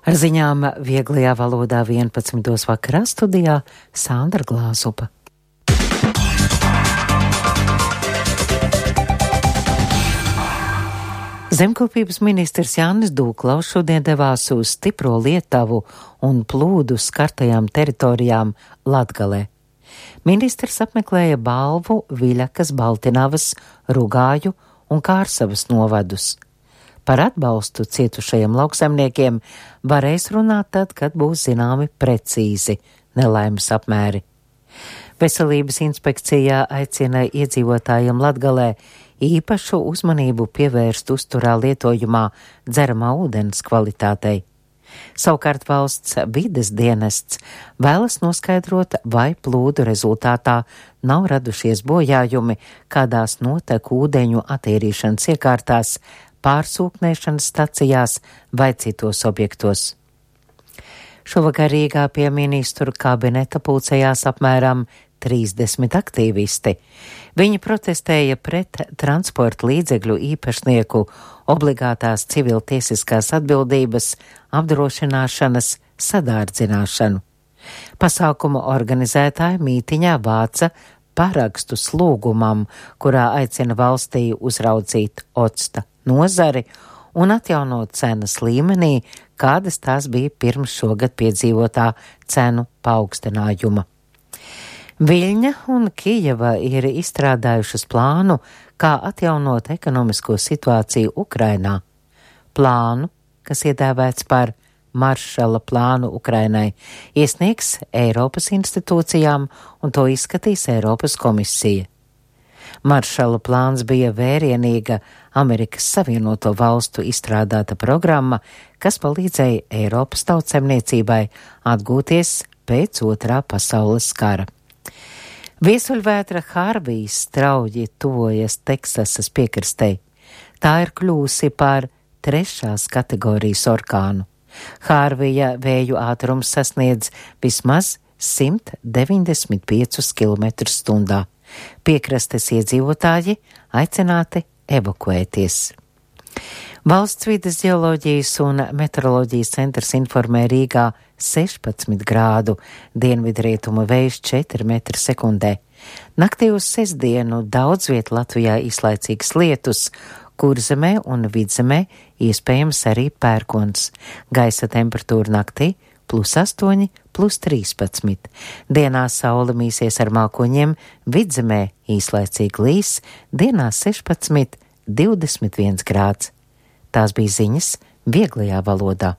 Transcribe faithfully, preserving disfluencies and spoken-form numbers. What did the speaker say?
Ar ziņām vieglajā valodā vienpadsmitos vakarā studijā Sandra Glāzupa. Zemkopības ministrs Jānis Dūklaus šodien devās uz stipro Lietuvu un plūdu skartajām teritorijām Latgalē. Ministrs apmeklēja Balvu, Viļakas, Baltinavas, Rugāju un Kārsavas novadus. Par atbalstu cietušajiem lauksaimniekiem varēs runāt tad, kad būs zināmi precīzi nelaimes apmēri. Veselības inspekcijā aicina iedzīvotājiem Latgalē īpašu uzmanību pievērst uzturā lietojumā dzeramā ūdens kvalitātei. Savukārt valsts vides dienests vēlas noskaidrot, vai plūdu rezultātā nav radušies bojājumi kādās noteku ūdeņu attīrīšanas iekārtās, pārsūknēšanas stacijās vai citos objektos. Šovakar Rīgā pie ministru kabineta pulcējās apmēram trīsdesmit aktīvisti. Viņi protestēja pret transporta līdzekļu īpašnieku obligātās civiltiesiskās atbildības apdrošināšanas sadārdzināšanu. Pasākuma organizētāji mītiņā vāca parakstus lūgumam, kurā aicina valstī uzraudzīt octa nozari un atjaunot cenas līmenī, kādas tās bija pirms šogad piedzīvotā cenu paaugstinājuma. Viļņa un Kijeva ir izstrādājušas plānu, kā atjaunot ekonomisko situāciju Ukrainā. Plānu, kas iedēvēts par Maršala plānu Ukrainai, iesniegs Eiropas institūcijām un to izskatīs Eiropas komisija. Maršala plāns bija vērienīga Amerikas Savienoto valstu izstrādāta programma, kas palīdzēja Eiropas tautsemniecībai atgūties pēc otrā pasaules kara. Viesuļvētra Hārvijs strauji tuvojas Teksasas piekrastei. Tā ir kļūsi par trešās kategorijas orkānu. Hārvija vēju ātrums sasniedz vismaz simt deviņdesmit piecus kilometrus stundā. Piekrastes iedzīvotāji aicināti evakuēties. Valsts vides ģeoloģijas un meteoroloģijas centrs informē Rīgā sešpadsmit grādu, dienvidrietumu vējš četri metri sekundē. Naktī uz sestdienu daudz viet Latvijā izlaicīgs lietus, Kurzemē un Vidzemē iespējams arī pērkons. Gaisa temperatūra naktī plus astoņi, plus trīspadsmit. Dienā saule mīsies ar mākoņiem, Vidzemē īslaicīgi līs, dienā sešpadsmit, divdesmit viens grāds. Tās bija ziņas vieglajā valodā.